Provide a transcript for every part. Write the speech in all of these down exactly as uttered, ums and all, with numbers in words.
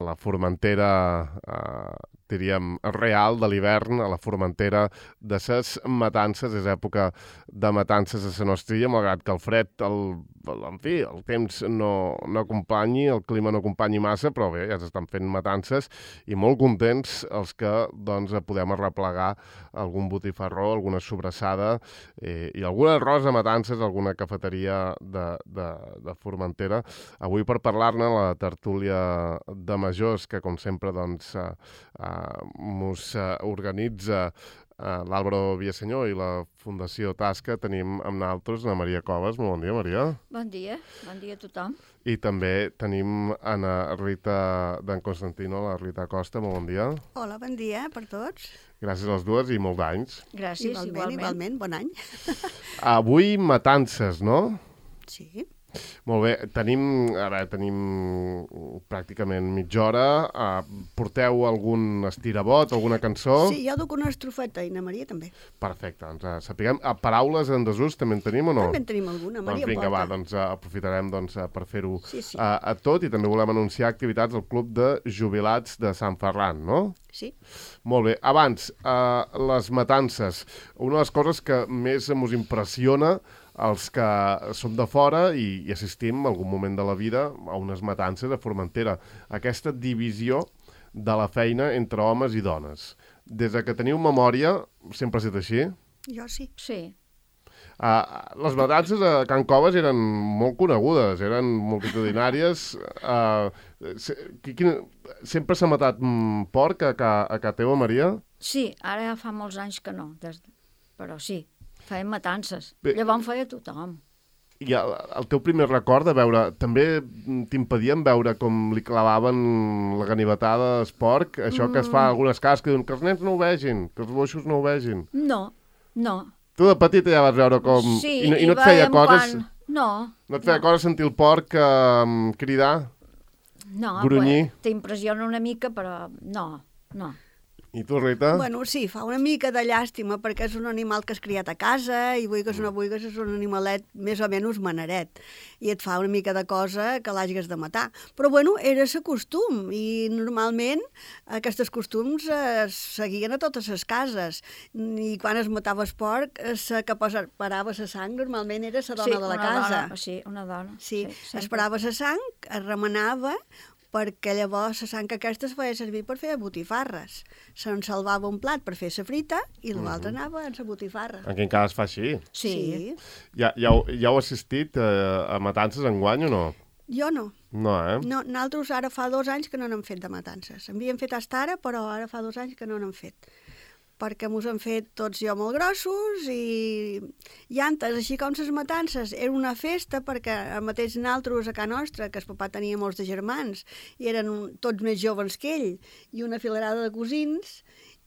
la Formentera, uh, diríem, real de l'hivern, a la Formentera de ses matances. És època de matances a la nostra illa, malgrat que el fred, el, en fi, el temps no, no acompanyi, el clima no acompanyi massa, però bé, ja s'estan fent matances i molt contents els que doncs, podem arreplegar algun botifarró, alguna sobrassada eh, i algun arròs a matances, alguna cafeteria de, de, de Formentera. Avui per parlar-ne la tertúlia de majors, que com sempre doncs, eh, eh, mos eh, organitza eh, l'Àlvaro Villasenyor i la Fundació Tasca, tenim amb nosaltres la Maria Coves. Molt bon dia, Maria. Bon dia, bon dia a tothom. I també tenim Ana Rita d'en Constantino, la Rita Costa. Molt bon dia. Hola, bon dia per tots. Gràcies a les dues i molt d'anys. Gràcies, igualment. Igualment, igualment, bon any. Avui matances, no? Sí. Molt bé, tenim, a veure, tenim pràcticament mitja hora. Uh, porteu algun estirabot, alguna cançó? Sí, jo duc una estrofeta i na Maria també. Perfecte, doncs uh, sapiguem. Uh, paraules en desús també en tenim o no? També en tenim alguna, Maria doncs vinga, porta. va, doncs uh, aprofitarem doncs, uh, per fer-ho sí, sí. uh, a tot, i també volem anunciar activitats al Club de Jubilats de Sant Ferran, no? Sí. Molt bé. Abans, uh, les matances. Una de les coses que més ens impressiona els que som de fora i, i assistim en algun moment de la vida a unes matances a Formentera. Aquesta divisió de la feina entre homes i dones. Des de que teniu memòria, sempre ha estat així? Jo sí. Sí. Uh, les matances a Can Coves eren molt conegudes, eren multitudinàries. Uh, se, quina, sempre s'ha matat mm, porc a, a, a casa teva, Maria? Sí, ara ja fa molts anys que no, des de... però sí. Feien matances. Bé, llavors feia tothom. I el, el teu primer record de veure... També t'impedien veure com li clavaven la ganivetada al porc? Això mm. que es fa a algunes cases que diuen que els nens no ho vegin, que els boixos no ho vegin. No, no. Tu de petita ja vas veure com... Sí, I, no, i no et feia coses... Quan... No. No et feia no. coses sentir el porc eh, cridar? No, grunyir? T'impressiona una mica, però no, no. I tu, Rita? Bueno, sí, fa una mica de llàstima perquè és un animal que has criat a casa i vulguis o no vulguis és un animalet més o menys maneret i et fa una mica de cosa que l'hagis de matar. Però bueno, era el costum i normalment aquests costums es seguien a totes les cases i quan es matava el porc, la que parava la sang normalment era la dona sí, de la una casa. Dona, sí, una dona. Sí, sí esperava la sang, es remenava perquè llavors la sang aquesta es feia servir per fer botifarres. Se'n salvava un plat per fer la frita i l'altre mm-hmm. anava en la botifarra. En quin cas es fa així? Sí. sí. Ja, ja, ja heu assistit eh, a matances enguany o no? Jo no. No, eh? No, nosaltres ara fa dos anys que no n'hem fet de matances. Havíem fet hasta ara, però ara fa dos anys que no n'hem fet. Perquè mos han fet tots jo molt grossos i, i antes, així com les matances, era una festa perquè el mateix nosaltres a casa nostra, que el papà tenia molts de germans i eren un, tots més joves que ell, i una filerada de cosins,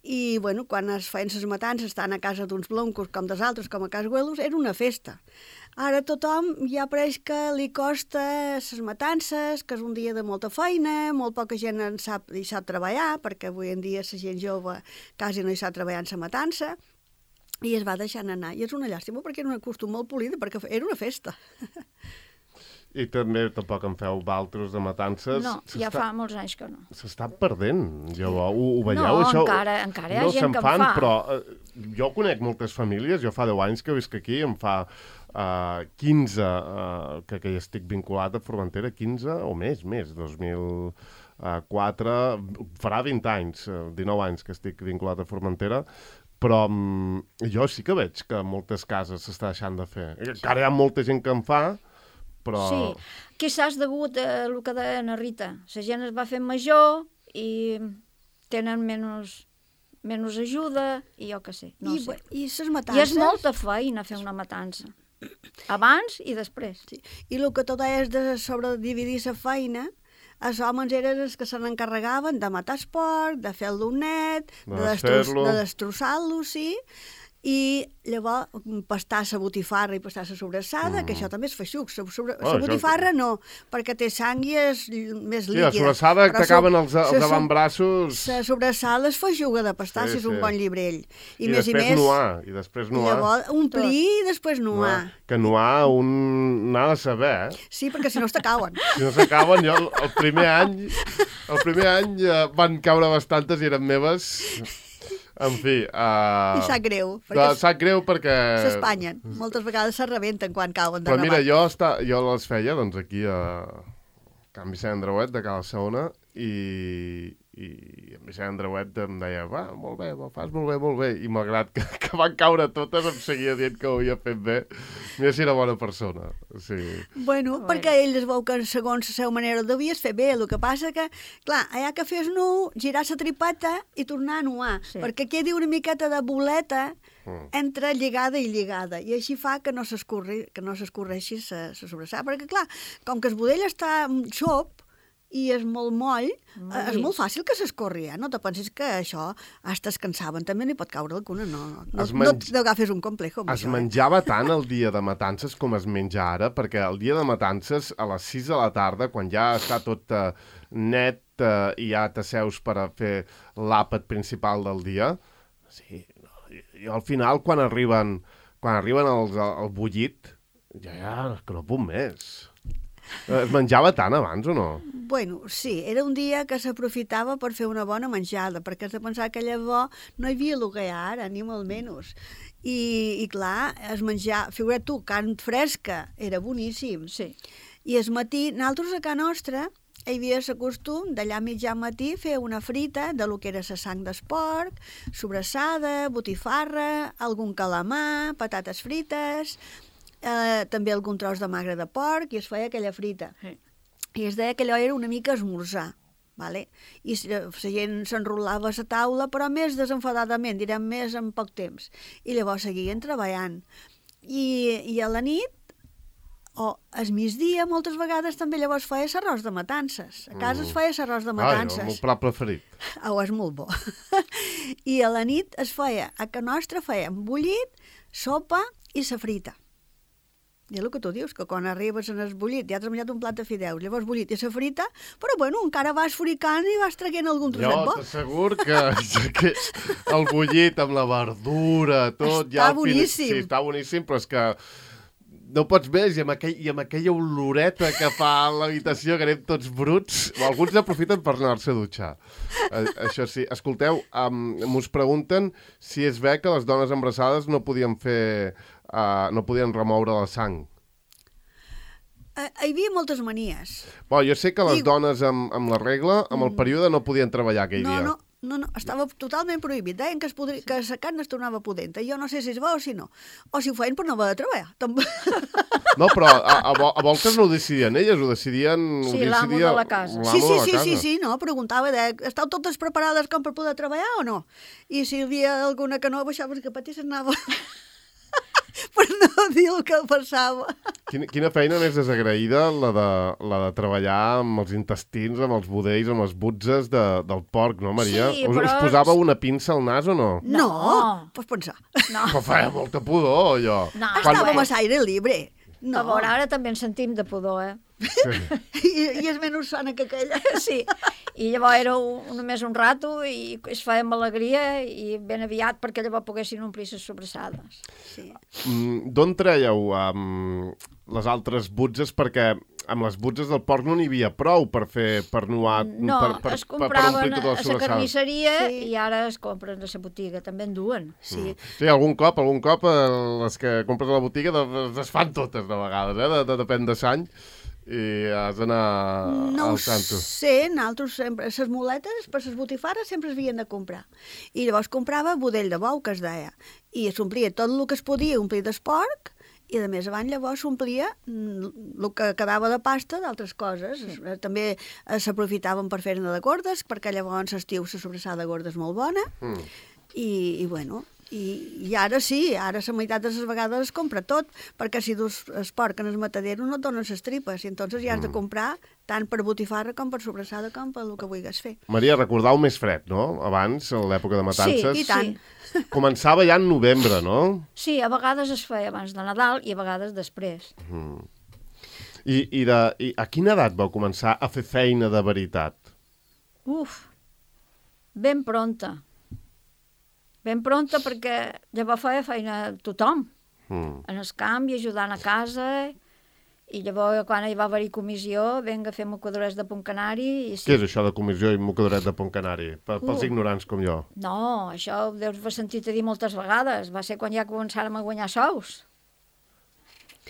i bueno, quan es feien les matances tant a casa d'uns bloncos com dels altres, com a casa Güelos, era una festa. Ara tothom ja pareix que li costa les matances, que és un dia de molta feina, molt poca gent en sap, hi sap treballar, perquè avui en dia la gent jove quasi no hi sap treballar en la matança, i es va deixant anar. I és una llàstima perquè era un costum molt polida, perquè era una festa. I també tampoc en feu valtros de matances. No, ja fa molts anys que no. S'està perdent, llavors. Ho, ho veieu, no, això? encara, encara hi ha no gent que en fan, fa. Però eh, jo conec moltes famílies, jo fa deu anys que visc aquí, em fa eh, quinze eh, que, que hi estic vinculat a Formentera, quinze o més, més, dos mil quatre, farà vint anys, dinou anys que estic vinculat a Formentera, però um, jo sí que veig que moltes cases s'està deixant de fer. Encara hi ha molta gent que en fa, però... Sí, quizás degut a el que deia na Rita. La gent es va fer major i tenen menys, menys ajuda i jo què sé, no I, sé. I les matances... I és molta feina fer una matança. Abans i després. Sí. I el que tu deies de sobredividir la feina, els homes eren els que se n'encarregaven de matar el porc, de fer el donet, de, de destrossar-lo, sí, i llavors pastar la botifarra i pastar la sobrassada, mm. que això també és feixuc. La sobre... oh, botifarra això... no, perquè té sang i és més líquida. Sí, la sobrassada que t'acaben els, els avantbraços... La sobrassada és feixuga de pastar, sí, si és un sí. bon llibrell. I, I més i més... Nuar, I després nuar. Llavors, omplir i després nuar. nuar. Que nuar un n'ha de saber, eh? Sí, perquè si no s'acaben. Si no s'acaben, jo el, el primer any... El primer any eh, van caure bastantes i eren meves... En fi... Uh... I sap greu. No, sap greu perquè... S'espanyen. Moltes vegades se rebenten quan cauen de Però mira, rabat. jo, està, jo les feia doncs, aquí a Can Vicent Andreuet de Cala Saona i, i en Vicent Andreuet em deia va, molt bé, ho fas molt bé, molt bé. I malgrat que, que van caure totes em seguia dient que ho havia fet bé. Mira si era bona persona. Sí. Bueno, bueno, perquè ell es veu que segons la seva manera ho devies fer bé. El que passa que, clar, allà que fes nu, girar la tripeta i tornar a nuar. Sí. Perquè quedi una miqueta de boleta mm. entre lligada i lligada. I així fa que no s'escorri, que no s'escorreixi la sobrassada. Perquè, clar, com que el budell està xop, i és molt moll, molt és molt fàcil que s'escorri, eh? No te pensis que això hasta es cansaven, també n'hi pot caure alguna, no, no, menj... no t'agafes un complejo amb es això. Es menjava eh? tant el dia de matances com es menja ara, perquè el dia de matances, a les sis de la tarda, quan ja està tot uh, net uh, i ja t'asseus per a fer l'àpat principal del dia, sí, i al final, quan arriben, quan arriben els, el bullit, ja, ja, que no puc més. Es menjava tant abans o no? Bueno, sí, era un dia que s'aprofitava per fer una bona menjada, perquè has de pensar que llavors no hi havia el que hi ha ara, ni molt menys. I, i clar, es menjar, figura't tu, carn fresca, era boníssim. Sí. I el matí, nosaltres a casa nostra, hi havia el costum d'allà mitjà matí fer una frita de lo que era la sang d'esporc, sobrassada, botifarra, algun calamar, patates frites... Eh, també algun tros de magre de porc i es feia aquella frita. Sí. I es deia que allò era una mica esmorzar. Vale? I la gent s'enrolava a la taula, però més desenfadadament, direm més en poc temps. I llavors seguien treballant. I, i a la nit, o al migdia, moltes vegades també llavors feia l'arròs de matances. A casa mm. es feia l'arròs de matances. Ai, el meu plat preferit. Oh, és molt bo. I a la nit es feia, a casa nostra fèiem bullit, sopa i la frita. I el que tu dius, que quan arribes en el bullit ja has menjat un plat de fideus, llavors bullit i la frita, però bueno, encara vas fricant i vas traient algun trosset bo. Jo t'assegur que, que el bullit amb la verdura, tot... Està ja boníssim. Sí, està boníssim, però és que no pots més, i amb, aquell, i amb aquella oloreta que fa a l'habitació, que anem tots bruts, o alguns aprofiten per anar-se a dutxar. Eh, això sí. Escolteu, um, m'us pregunten si és bé que les dones embarassades no podien fer... Uh, no podien remoure la sang. Uh, hi havia moltes manies. Bo, jo sé que les I... dones amb, amb la regla, amb el període, no podien treballar aquell no, dia. No, no, no, estava totalment prohibit. Deien que, es podria, que la carn es tornava pudenta. Jo no sé si és bo o si no. O si ho feien per no haver de treballar. No, però a, a, a voltes no ho decidien elles, ho decidien... Sí, ho l'amo de la casa. Sí, sí, sí, sí, sí, no, preguntava, de, estàu totes preparades com per poder treballar o no? I si hi havia alguna que no, baixava que patis anava... per no dir el que passava. Quina, quina feina més desagraïda la de, la de treballar amb els intestins, amb els budells, amb les butzes de, del porc, no, Maria? Sí, us, però... us posava una pinça al nas o no? No, pots pensar. No. Però feia molta pudor, allò. No, estàvem a l'aire libre. No. A veure, ara també en sentim de pudor, eh? Sí. I, I és menys sana que aquella. Sí, i llavors era un, només un rato i es feia amb alegria i ben aviat perquè llavors poguessin omplir les sobrassades. Sí. Mm, D'on traieu um, les altres butzes? Perquè amb les butzes del porc no n'hi havia prou per fer, per nuar, no, per, per, es per, per compraven omplir tota la a la sobrassada. carnisseria Sí. i ara es compren a la botiga, també en duen. Sí. Mm. Sí, algun cop, algun cop eh, les que compres a la botiga de- es fan totes de vegades, eh? de, de, depèn de l'any. I has d'anar No al ho tanto. sé, nosaltres sempre, les muletes per les botifarres sempre es havien de comprar. I llavors comprava budell de bou, que es deia, i s'omplia tot el que es podia omplir d'esporc, i de més avant llavors s'omplia el que quedava de pasta d'altres coses. Sí. També eh, s'aprofitaven per fer-ne de gordes, perquè llavors l'estiu la sobrassada gorda és molt bona, Mm. i, i bueno... I, I ara sí, ara la meitat de les vegades es compra tot, perquè si dus el porc en el matadero no et donen les tripes, i entonces ja has de comprar tant per botifarra com per sobrassada com per el que vulguis fer. Maria, recordau més fred, no? Abans, a l'època de matances. Sí, i tant. Sí. Començava ja en novembre, no? Sí, a vegades es feia abans de Nadal i a vegades després. Mm. I, i, de, I a quina edat vau començar a fer feina de veritat? Uf, ben pronta. Ben pronta perquè llavors feia feina tothom, Mm. en el camp i ajudant a casa, i llavors quan hi va haver-hi comissió, venga a fer mocadores de punt canari. I sí. Què és això de comissió i mocadoret de punt canari? Per, pels Uh. ignorants com jo. No, això ho deus haver sentit a dir moltes vegades. Va ser quan ja començàrem a guanyar sous.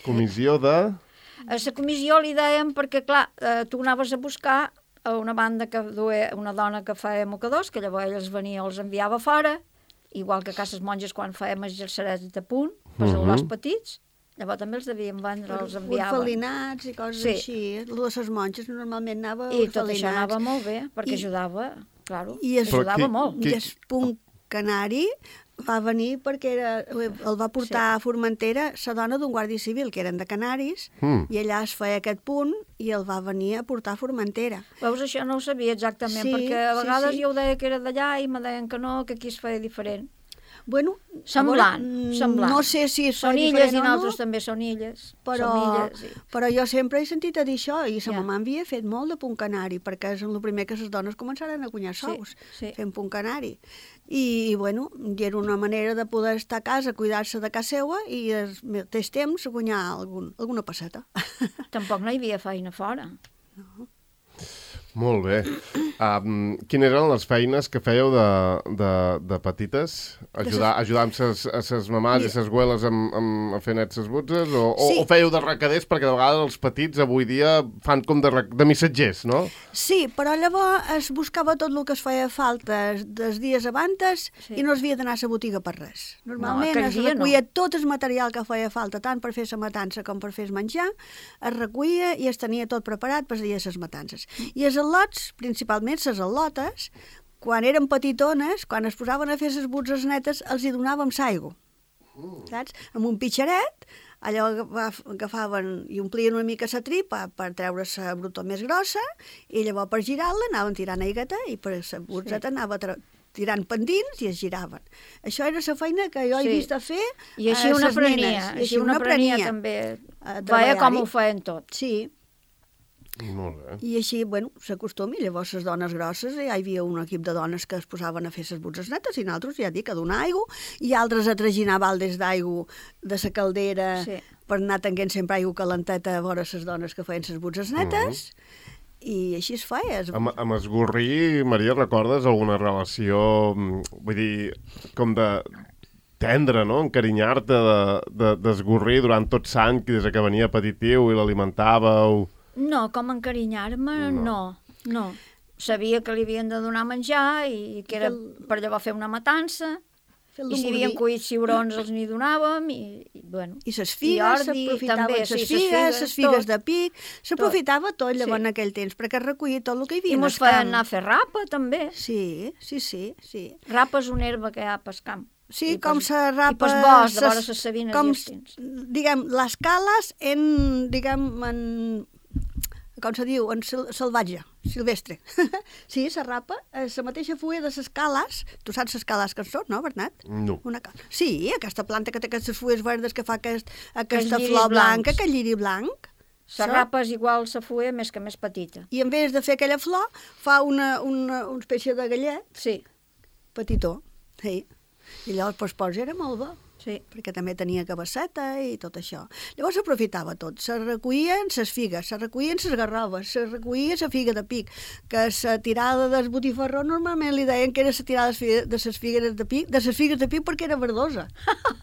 Comissió de... A la comissió li dèiem perquè, clar, eh, tu anaves a buscar a una banda que duia una dona que feia mocadors, que llavors ells venia o els enviava fora, igual que a cases monges quan fèiem els gercerets de punt, per Mhm. als petits, llavors també els devien vendre, els enviaven. Orfelinats i coses Sí. així. El de les monges normalment anava I tot orfelinats. això anava molt bé, perquè I- ajudava, claro, I es- Però ajudava qui- molt. qui- I el punt canari va venir perquè era, el va portar sí. a Formentera la dona d'un guàrdia civil, que eren de Canaris, Mm. i allà es feia aquest punt i el va venir a portar a Formentera. Veus, això no ho sabia exactament, Sí, perquè a sí, vegades sí. jo ho deia que era d'allà i me deien que no, que aquí es feia diferent. Bueno, Semblant, a veure, mm, semblant. No sé si es Són feia illes diferent i o no, nosaltres també són illes. però, Som illes, i... però jo sempre he sentit a dir això, i sa Ja. mamà havia fet molt de punt canari, perquè és el primer que les dones començaren a guanyar Sí, sous, sí. fent punt canari. I, i bueno, i era una manera de poder estar a casa, cuidar-se de casa seua i al mateix temps guanyar algun, alguna passeta. Tampoc no hi havia feina fora. Molt bé. Um, quines eren les feines que fèieu de, de, de petites? Ajudar, ajudar amb ses, a ses mamàs i ses güeles amb, amb, a fer net ses butzes? O, Sí. o, o fèieu de recaders? Perquè de vegades els petits avui dia fan com de, rec- de missatgers, no? Sí, però llavors es buscava tot el que es feia falta dels dies abantes Sí. i no es havia d'anar a la botiga per res. Normalment aquell es dia recollia no. tot el material que feia falta, tant per fer la matança com per fer el menjar, es recollia i es tenia tot preparat per dia de les matances. I els al·lots, principalment les al·lotes, quan eren petitones, quan es posaven a fer les butzes netes, els hi donàvem l'aigua. Saps? Amb un pitxeret, allò agaf- agafaven i omplien una mica la tripa per treure la brutó més grossa i llavors per girar-la anaven tirant aigueta i per la butzeta sí. anava tra- tirant pendins i es giraven. Això era la feina que jo he Sí. vist a fer I així a una ses aprenia, nenes. I així una aprenia també. a Veia treballar-hi. com ho feien tot. Sí, Molt bé. i així, bueno, s'acostuma. I llavors les dones grosses, ja hi havia un equip de dones que es posaven a fer les butzes netes i nosaltres, ja dic, a donar aigua, i altres a traginar baldes d'aigua de la caldera Sí. per anar tenint sempre aigua calenteta a vora les dones que feien les butzes netes, i així es feia. Es... Amb, amb esgorrir, Maria, recordes alguna relació, mm, vull dir, com de tendre, no? Encarinyar-te de- de- d'esgorrir de, durant tot l'any, des que venia petitiu i l'alimentàveu... No, com encarinyar-me, no. no, no. Sabia que li havien de donar menjar i que era per llavors fer una matança. Fer-lo I si havien mordir. cuit ciurons els n'hi donàvem i, i bueno. I les figues, ordi, s'aprofitaven també, les sí, ses figues, les figues tot. de pic, s'aprofitava tot llavors Sí. en aquell temps, perquè es recollia tot el que hi havia I en mos el camp. feien anar a fer rapa, també. Sí, sí, sí, sí. Rapa és una herba que hi ha pel camp. Sí, I com pels- se rapa... I pels boscs, de ses- vora les sabines com, i els tins. diguem, les cales en, diguem, en... com se diu, en sil salvatge, silvestre. Sí, se rapa, eh, la mateixa fulla de les cales, tu saps les cales que són, no, Bernat? No. Una cal... Sí, aquesta planta que té aquestes fulles verdes que fa aquest, aquesta lliris flor blanca, blancs. aquest lliri blanc. La rapa és igual la fulla, més que més petita. I en vez de fer aquella flor, fa una, una, una espècie de gallet Sí, petitó. Sí. I llavors, doncs, pues, era molt bo. sí. Perquè també tenia cabasseta i tot això. Llavors s'aprofitava tot. Se recollien les figues, se recollien les garroves, se recollia la figa de pic, que la tirada del botifarró normalment li deien que era la tirada de les figues de pic, de les figues de pic perquè era verdosa.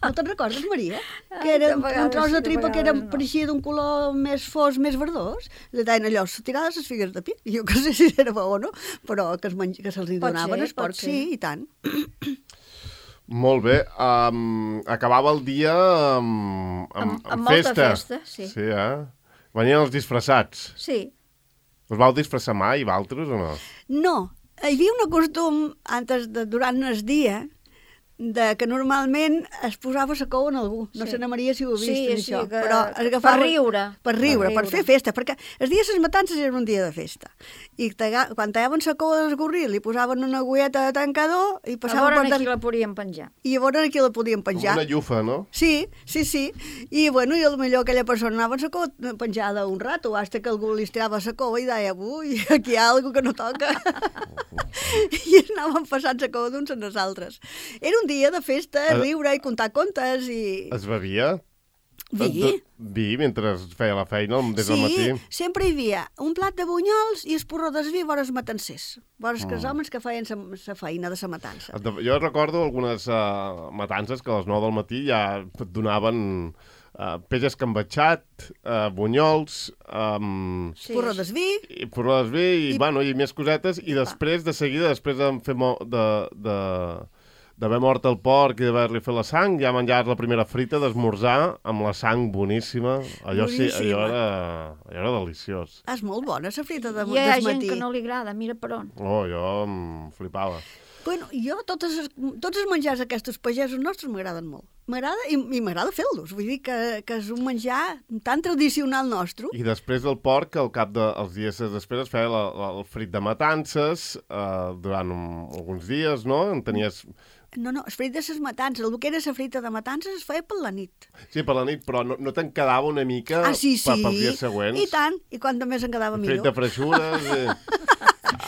No te'n recordes, Maria? Que Ai, era de un vegades tros sí, de de tripa que era, vegades no. pareixia d'un color més fos, més verdós. Li deien allò, la tirada de les figues de pic. Jo que sé si era bo o no, però que, es menj... que se'ls Pot donaven ser, els pot porcs, ser. sí, i tant. Molt bé. Um, acabava el dia amb, amb, Amb- amb, amb molta festa. festa, sí. Sí, eh? Venien els disfressats. Sí. Us vau disfressar mai, vosaltres, o no? No, hi havia un costum, antes de, durant el dia, de que normalment es posava la cou en algú. No Sí. sé, Ana Maria, si ho has vist, Sí, això. sí, que- però es per agafava... riure. Per riure, Per per, riure. fer festa, perquè el dia de les matances era un dia de festa. I talla- quan tallaven la cou d'esgorril, li posaven una agüeta de tancador i A passaven veure per... aquí dar- la podríem penjar. I a veure aquí la podien Com penjar. una llufa, no? Sí, sí, sí. I, bueno, i potser aquella persona anava amb la cou penjada un rato, hasta que algú li estirava la cou i deia, ui, aquí hi ha alguna que no toca. I anaven passant la cou d'uns en els altres. Era un dia de festa, Ara- riure i contar contes i... Es bevia? Vi. De- Vi mentre es feia la feina des del Sí, matí? sempre hi havia un plat de bunyols i el porró d'esví vora els matancers, vora Mm. els homes que feien la feina de la matança. Jo recordo algunes uh, matances que a les nou del matí ja et donaven uh, peix escambatxat, uh, bunyols, um, Sí. Porró d'esví, i porró d'esví i, I- bueno, i més cosetes, i després, de seguida, després de fer mo de, de, d'haver mort el porc i d'haver-li fet la sang, ja menjaves la primera frita d'esmorzar amb la sang boníssima. Allò sí, allò Boníssima. era, allò era deliciós. és molt bona la frita de, Hi ha del gent matí. que no li agrada, mira per on. Oh, jo em flipava. Bueno, jo, totes, les- tots els menjars aquests pagesos nostres m'agraden molt. M'agrada i, i m'agrada fer-los. Vull dir que, que és un menjar tan tradicional nostre. I després del porc, al cap dels dies després es feia la, la, el frit de matances eh, durant un, alguns dies, no? En tenies... No, no, el frit de les matances, el que era la frita de matances es feia per la nit. Sí, per la nit, però no, no te'n quedava una mica Ah, sí, per, sí. pels dies següents? I tant, i quant més en quedava Frit millor. de freixures... Eh.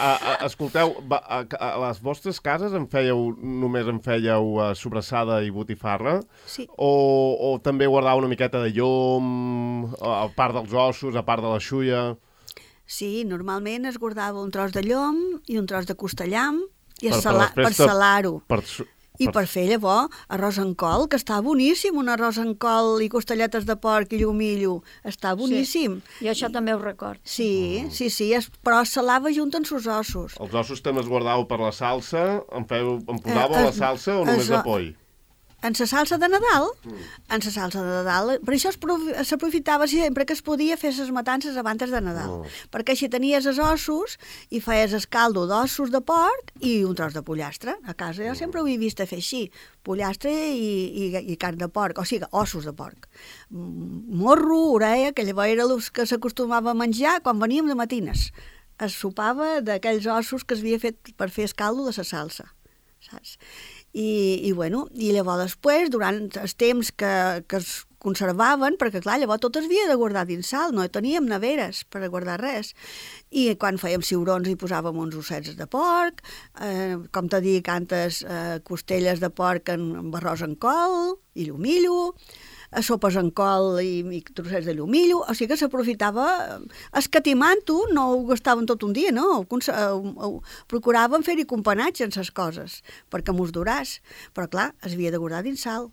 A, a, escolteu, va, a, a les vostres cases en fèieu, només en fèieu uh, sobrassada i botifarra? Sí. O, o també guardava una miqueta de llom, a part dels ossos, a part de la xulla? Sí, normalment es guardava un tros de llom i un tros de costellam i Per- per, per sala, després per te- salar-ho. Per, su- I per fer llavors arròs en col, que està boníssim, un arròs en col i costelletes de porc i llumillo. Està boníssim. I això també ho record. Sí, sí, sí, es, però es salava junt amb els ossos. Els ossos també els guardàveu per la salsa? En, feu, en posàveu Eh, la es- salsa o només es- de poll? En la salsa de Nadal, en la salsa de Nadal, per això es profi- s'aprofitava sempre que es podia fer les matances abans de Nadal, Oh. perquè així tenies els ossos i feies el caldo d'ossos de porc i un tros de pollastre. A casa jo sempre ho he vist a fer així, pollastre i, i, i carn de porc, o sigui, ossos de porc. Mm, Morro, orella, que llavors era el que s'acostumava a menjar quan veníem de matines. Es sopava d'aquells ossos que es havia fet per fer el caldo de la salsa, saps? I, i, bueno, i llavors després, durant els temps que, que es conservaven, perquè clar, llavors tot es havia de guardar dins sal, no teníem neveres per a guardar res. I quan fèiem ciurons hi posàvem uns ossets de porc, eh, com t'he dit antes, eh, costelles de porc en, amb arròs en col i llumillo, a sopes en col i, i trossets de llumillo, o sigui que s'aprofitava, eh, escatimant-ho, no ho gastaven tot un dia, no? Ho, cons- eh, ho, ho, procuraven fer-hi companatge en les coses, perquè mos duràs, però clar, es havia de guardar dins sal.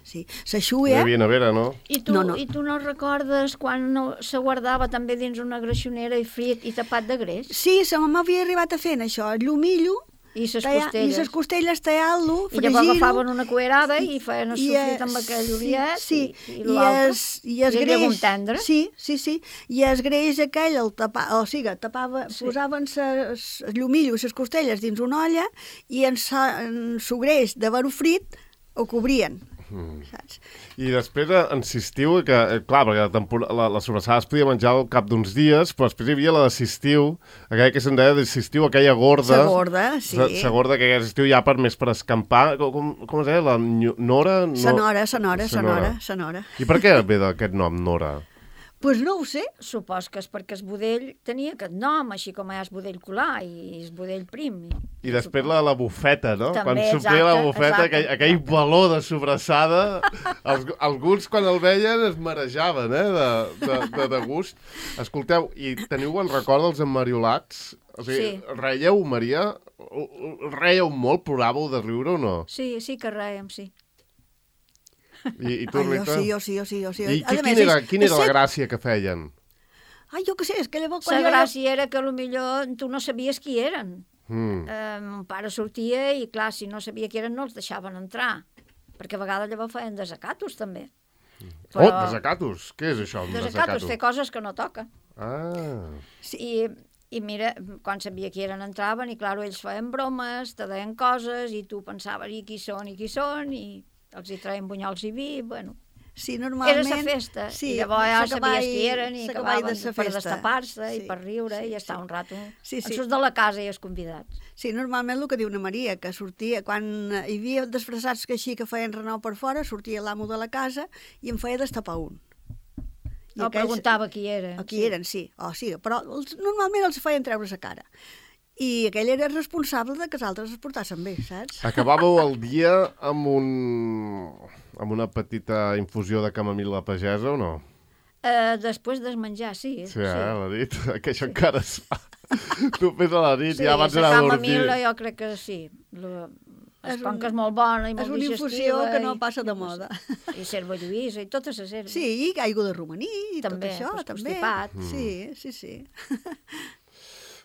Sí, la Hi xuia... havia nevera, no? I tu No, no, no. I tu no recordes quan no, se guardava també dins una greixonera i frit i tapat de greix? Sí, la mamà havia arribat a fer això, el llumillo, I les tallar- i costelles? les costelles tallar-lo, I llavors fregir-ho... agafaven una cuerada i feien el i, sofrit eh, amb aquell sí, oliet sí, i, i i l'altre. es, i es I el greix, llegum tendre. sí, sí, sí, i es greix aquell, el tapa, o sigui, tapava, Sí. posaven ses, el llumillo i les costelles dins una olla i en, sa, en su greix de veru frit ho cobrien, Mm. saps? I després eh, insistiu que, eh, clar, perquè la, tempor- la, la sobrassada es podia menjar al cap d'uns dies, però després hi havia la d'esistiu, aquella que se'n deia d'esistiu, aquella gorda. La gorda, sí. La, la gorda que aquella estiu ja per més per escampar. Com, com es deia? La nyo- Nora? No... Sonora, sonora, Sonora. sonora, sonora. I per què ve d'aquest nom, Nora? Pues no ho sé. Supos que és perquè el budell tenia aquest nom, així com hi ha el budell colar i el budell prim. I després la, la bufeta, no? També, Quan s'omplia la exacte, bufeta, exacte. aquell, aquell baló de sobrassada, els, alguns quan el veien es marejaven, eh, de, de, de, de gust. Escolteu, i teniu bon record dels emmariolats? O sigui, Sí. reieu, Maria? Reieu molt? Ploràveu de riure o no? Sí, sí que rèiem, sí. I, i tu, Ai, jo Rita? sí, jo sí, jo sí, jo sí. I A qui, més, quina era, és- quina era és la set- gràcia que feien? Ai, jo què sé, és que llavors... La quan jo- gràcia era que potser tu no sabies qui eren. Mm. Eh, mon pare sortia i, clar, si no sabia qui eren no els deixaven entrar. Perquè a vegades llavors feien desacatos, també. Oh, desacatos! Què és això, un Desacatos, desacato? fer coses que no toca. Ah, Sí. I, I mira, quan sabia qui eren, entraven, i clar, ells feien bromes, te deien coses, i tu pensaves, i qui són, i qui són, i els hi traien bunyols i vi, bueno... Sí, normalment... Era la festa, sí, i llavors ja s'acabava sabies qui eren, i acabaven de sa per festa. destapar-se, Sí, i per riure, sí, i estar sí. un rato... Sí, sí. En surts de la casa i els convidats. Sí, normalment el que diu na Maria, que sortia, quan hi havia disfressats que així que feien renou per fora, sortia l'amo de la casa i em feia destapar un. I No, aquells- preguntava qui era. A qui eren, sí. Oh, sí, però els, normalment els feien treure la cara. I aquell era responsable de que els altres es portassin bé, saps? Acabàveu el dia amb un... amb una petita infusió de camamil·la pagesa o no? Uh, després de menjar, sí. Sí, eh, a la nit, que això encara es fa. Tu fes a la nit, Sí, ja abans la d'anar a dormir. camamil·la jo crec que sí. Lo, És és com un- que és molt bona i És molt una digestiva. infusió que no i- passa de moda. I serva lluïsa i totes les herbes. Sí, i aigua de romaní i També, tot això, pues, també. constipat. Sí, sí, sí.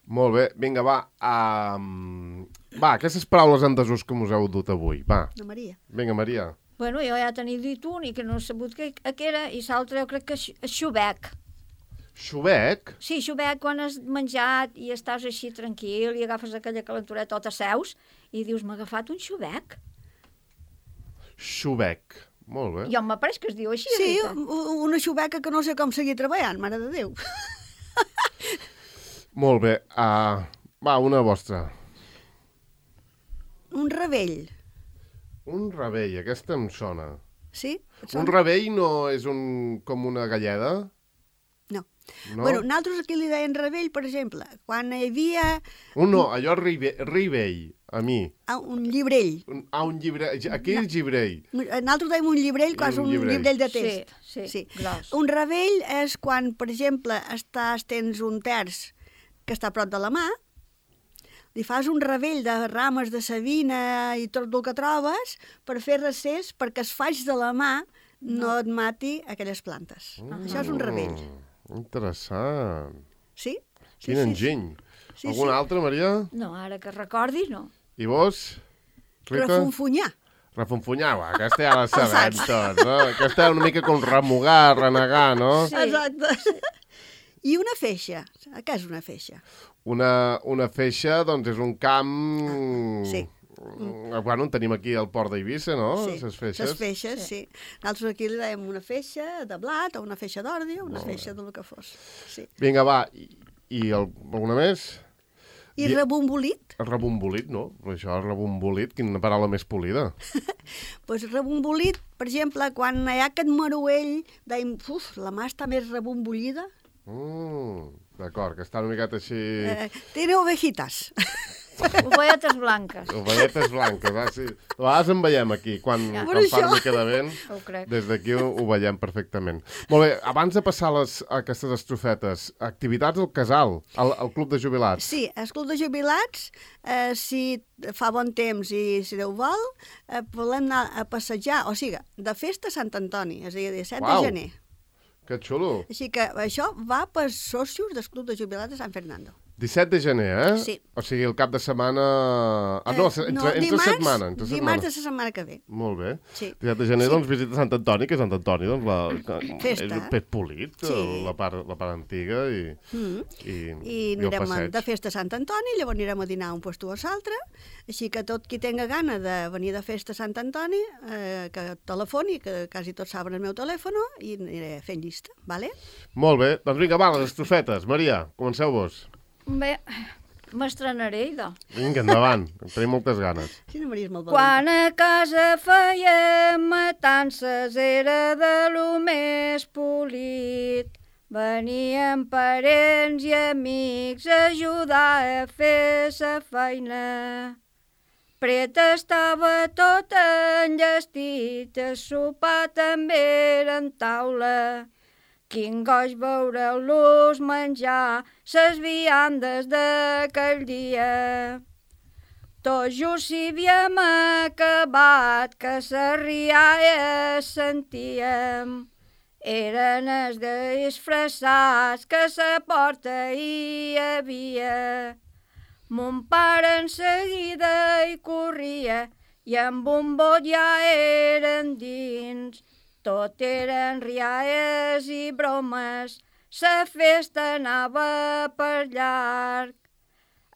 Molt bé, vinga, va. Um... Va, aquestes paraules en desús que us heu dut avui, va. Na Maria. Vinga, Maria. Bueno, jo ja tenia dit un i que no he sabut què, què era, i l'altre jo crec que és és xubec. Xubec? Sí, xubec, quan has menjat i estàs així tranquil i agafes aquella calentoreta o t'asseus i dius, m'ha agafat un xubec. Xubec. Molt bé. Jo m'ha pareix que es diu així, Sí, Rita. u- una xubeca que no sé com seguir treballant, mare de Déu. Molt bé. Uh, va, una vostra. Un ravell, Un ravell, aquesta em sona. sí? Et Un sona? ravell no és un, com una galleda? No. No? Bueno, nosaltres aquí li deien ravell, per exemple, quan hi havia Un no, allò rive, rivell, a mi. ah, un llibrell. Un, ah, un llibre... Aquí és llibrell. Nosaltres deim un llibrell, que és Un un llibrell. llibrell de Sí, text. sí, gros. Un ravell és quan, per exemple, estàs, tens un terç que està a prop de la mà, li fas un ravell de rames de savina i tot el que trobes per fer recés perquè es faig de la mà no, et mati aquelles plantes. Mm. Això és un ravell. Interessant. Sí? Sí, Quin sí, enginy. sí, Alguna sí. altra, Maria? No, ara que recordi, no. I vos? Rita? Refunfunyar. Refunfunyar, va, aquesta ja la sabem saps. tots, no? Aquesta és una mica com remugar, renegar, no? Sí. Exacte. I una feixa. Què és una feixa? Una, una feixa, doncs, és un camp... Sí. Mm, Bueno, en tenim aquí al port d'Eivissa, no? Sí, Les feixes. les feixes, sí. Nosaltres aquí li dèiem una feixa de blat o una feixa d'ordi o una feixa del que fos. Sí. Vinga, va, i, i el, alguna més? I Di- rebombolit? Rebombolit, no? Això, rebombolit, quina paraula més polida. Pues rebombolit, per exemple, quan hi ha aquest maruell, dèiem, uf, la mà està més rebombollida. Mm, D'acord, que està una miqueta així... Eh, tiene ovejitas. Ovelletes blanques. Ovelletes blanques, ah, sí. A vegades en veiem aquí, quan, Ja. quan Per fa una això. mica de vent, Ho crec. des d'aquí ho, ho veiem perfectament. Molt bé, abans de passar les, aquestes estrofetes, activitats al casal, al, al club de jubilats. Sí, el club de jubilats, eh, si fa bon temps i si Déu vol, eh, volem anar a passejar, o sigui, de festa a Sant Antoni, és a dir, set Uau. de gener. Que xulo. Així que això va per socios del club de jubilats de Sant Fernando. disset de gener, eh? Sí. O sigui, el cap de setmana... Ah, no, Eh, entre, entre dimarts, setmana. Entre dimarts setmana. de la setmana que ve. Molt bé. Sí. disset de gener, Sí. doncs, visita Sant Antoni, que Sant Antoni, doncs, la, que, Festa. és un pet polit, Sí. la, part, la part antiga, i, Mm. i, I el anirem a, passeig. de festa a Sant Antoni, llavors anirem a dinar a un puesto o a l'altre, així que tot qui tenga gana de venir de festa a Sant Antoni, eh, que telefoni, que quasi tots saben el meu telèfon, i aniré fent llista, vale? Molt bé, doncs vinga, va, les estrofetes. Maria, comenceu-vos. Bé, m'estrenaré, idò. Vinga, endavant, en tenim moltes ganes. Sí, no Maria és molt valenta. Quan a casa fèiem matances era de lo més polit. Venien parents i amics a ajudar a fer sa feina. Pret estava tot enllestit, a sopar també era en taula. Quin goig veure-los menjar ses viandes d'aquell dia. Tots just s'hi havíem acabat, que sa rialla sentíem. Eren els disfressats que sa porta hi havia. Mon pare en seguida hi corria i amb un bot ja eren dins. Tot eren rialles i bromes, la festa anava per llarg.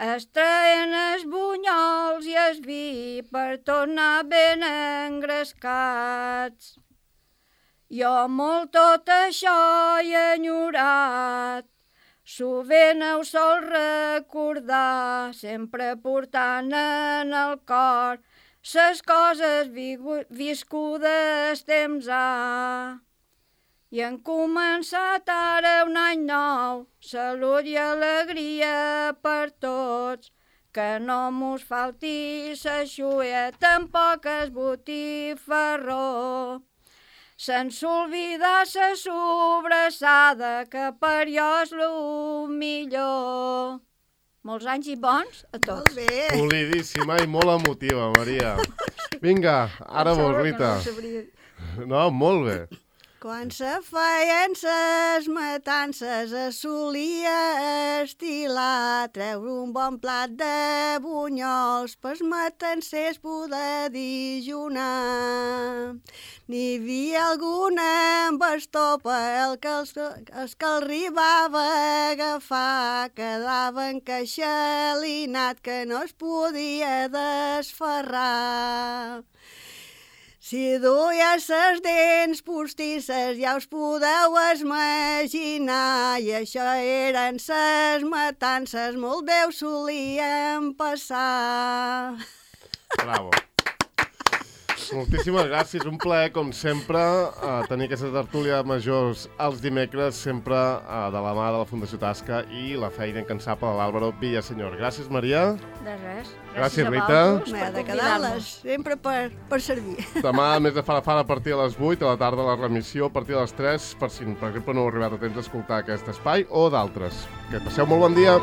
Es traien els bunyols i el vi per tornar ben engrescats. Jo molt tot això he enyorat, sovint ho sol recordar, sempre portant en el cor ses coses viscudes temps ha. I han començat ara un any nou, salut i alegria per tots, que no mos falti sa xuia, tampoc es botifarró. Sense oblidar sa sobrassada, que per jo és lo millor. Molts anys i bons a tots. Molt bé. Polidíssima i molt emotiva, Maria. Vinga, ara vos, Rita. No, molt bé. Quan se feien ses matances es solia estilar treure un bon plat de bunyols pels matancers poder dijunar. N'hi havia alguna amb estopa, el que els, els que el arribava a agafar quedava encaixalinat que no es podia desferrar. Si duia ses dents postisses ja us podeu imaginar, i això eren ses matances, molt bé ho solien passar. Bravo. Moltíssimes gràcies, un plaer, com sempre, uh, tenir aquesta tertúlia de majors els dimecres, sempre uh, de la mà de la Fundació Tasca i la feina incansable de l'Àlvaro Villasenyor. Gràcies, Maria. De res. Gràcies, a Rita. vosaltres M'ha per de quedar-les, sempre per, per servir. Demà, a més de Fara Fara, a partir de les vuit, a la tarda la remissió, a partir de les tres, per si, per exemple, no heu arribat a temps d'escoltar aquest espai o d'altres. Que passeu molt bon dia.